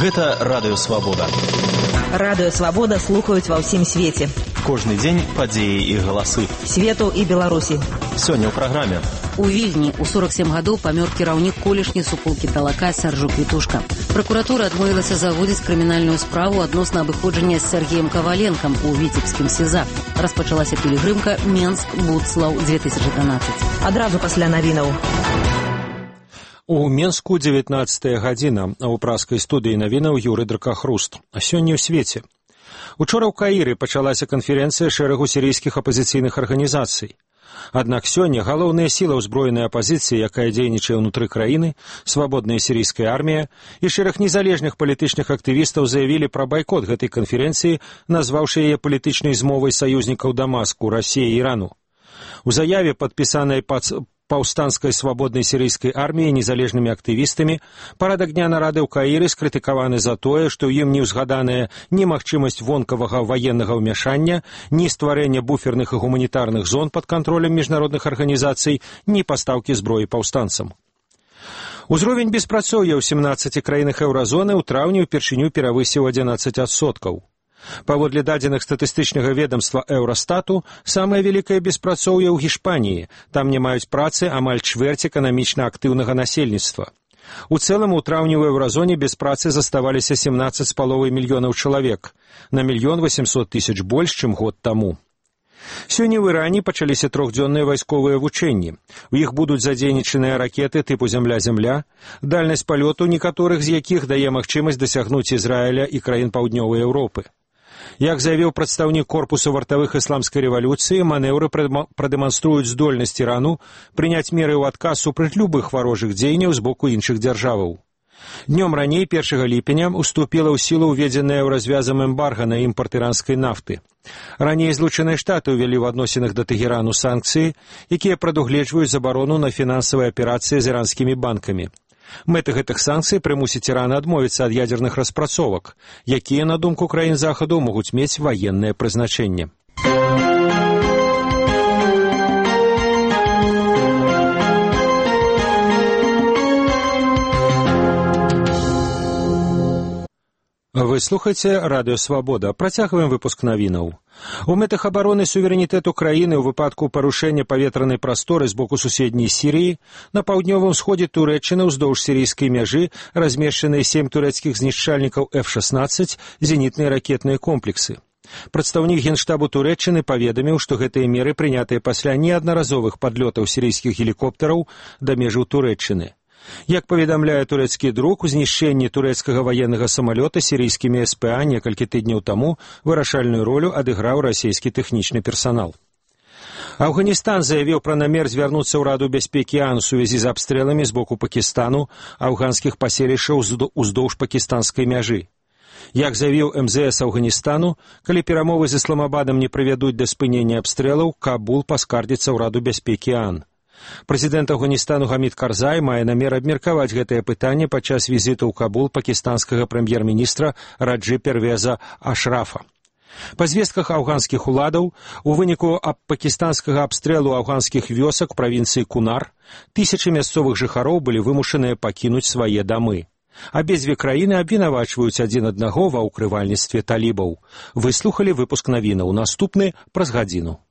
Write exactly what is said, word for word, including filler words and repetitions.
Гэта Радыё Свабода. Радыё Свабода слухаюць ва ўсім свеце. Кожны дзень падзеі і галасы. Свету і Беларусі. Сёння ў праграме. У Вільні ў сорок сем гадоў памёр кіраўнік колішняй суполкі Талака Сяржук Вітушка. Пракуратура адмовілася заводзіць крымінальную справу адносна абыходжання з Сергеем Каваленкам у віцебскім СІЗА. Распачалася пілігрымка Менск-Будслаў две тысячы трынаццаць. Адразу пасля навінаў. У Менску дзевятнаццатая гадзіна, а ў праскай студыі навінаў Юрый Дракахруст. А сёння ў свеце. Учора ў Каіры пачалася канферэнцыя шэрагу сірійскіх апазіцыйных арганізацый. Аднак сёння галоўная сіла ўзброенай апазіцыі, якая дзейнічае ўнутры краіны, свабодная сірійская армія і шэраг незалежных палітычных актывістаў заявілі пра байкот гэтай канферэнцыі, назваўшы яе палітычнай змовай саюзнікаў Дамаску, Расіі і Ірану. У заяве, падпісанай пад паўстанскай свабоднай сірыйскай арміяй незалежнымі актывістамі, парадак дня нарады ў Каіры скрытыкаваны за тое, што ў ім не ўзгаданая ні магчымасць вонкавага ваеннага ўмяшання, ні стварэння буферных і гуманітарных зон пад кантролем міжнародных арганізацый, ні пастаўкі зброі паўстанцам. Узровень беспрацоўя ў сямнаццаці краінах еўразоны ў траўні ўпершыню перавысіў адзінаццаць адсоткаў. Паводле дадзеных статыстычнага ведомства Еўрастату, самае вялікае беспрацоўе ў Гішпаніі. Там не маюць працы амаль чвэрць эканамічна актыўнага насельніцтва. У цэлым у траўні ў еўразоне без працы заставаліся сямнаццаць з паловай мільёнаў чалавек, на мільён восемьсот тысяч больш, чым год таму. Сёння ў Іране пачаліся трохдзённыя вайсковыя вучэнні. У іх будуць задзейнічаныя ракеты тыпу «Зямля-Зямля», дальнасць палёту некаторых з якіх дае магчымасць дасягнуць Ізраіля і краін паўднёвай Еўропы. Як заявіў прадстаўнік корпусу вартавых ісламскай рэвалюцыі, манеўры прадэманструюць здольнасць Ірану прыняць меры ў адказ супраць любых варожых дзеянняў з боку іншых дзяржаваў. Днём раней, першага ліпеня, уступіла ў сілу ўведзеная ў развязам эмбарга на імпарт іранскай нафты. Раней Злучаныя Штаты ўвялі ў адносінах да Тэгерану санкцыі, якія прадугледжваюць забарону на фінансавыя аперацыі з іранскімі банкамі. Мэта гэтых санкцый прымусіць Іран адмовіцца ад ядзерных распрацовак, якія, на думку краін Захаду, могуць мець ваеннае прызначэнне. Вы слухаеце Радыё Свабода. Працягваем выпуск навінаў. У мэтах абароны суверэнітэту краіны ў выпадку парушэння паветранай прасторы з боку суседняй Сірыі на паўднёвым сходзе Турэччыны ўздоўж сірыйскай мяжы размешчаныя сем турэцкіх знішчальнікаў эф шаснаццаць зенітныя ракетныя комплексы. Прадстаўнік Генштабу Турэччыны паведаміў, што гэтыя меры прынятыя пасля неаднаразовых падлётаў сірыйскіх гелікоптараў да межаў Турэччыны. Як паведамляе турэцкі друк, у знішчэнні турэцкага ваеннага самалёта сірыйскімі эс пэ а некалькі тыдняў таму вырашальную ролю адыграў расійскі тэхнічны персанал. Афганістан заявіў пра намер звярнуцца ў Раду бяспекі ООН у сувязі з абстрэламі з боку Пакістану афганскіх паселішчаў уздоўж пакістанскай мяжы. Як заявіў эм зэ эс Афганістану, калі перамовы з Ісламабадам не прывядуць да спынення абстрэлаў, Кабул паскардзіцца ў Раду бяспекі ООН. Прэзідэнт Афганістану Гамід Карзай мае намер абмеркаваць гэтае пытанне падчас візіту ў Кабул пакістанскага прэм'ер-міністра Раджы Первеза Ашрафа. Па звестках афганскіх уладаў, у выніку аб пакістанскага абстрэлу афганскіх вёсак правінцыі Кунар тысячы мясцовых жыхароў былі вымушаныя пакінуць свае дамы. Абедзве краіны абвінавачваюць адзін аднаго ва ўкрывальніцтве талібаў. Выслухалі выпуск навінаў. Наступны праз гадзіну.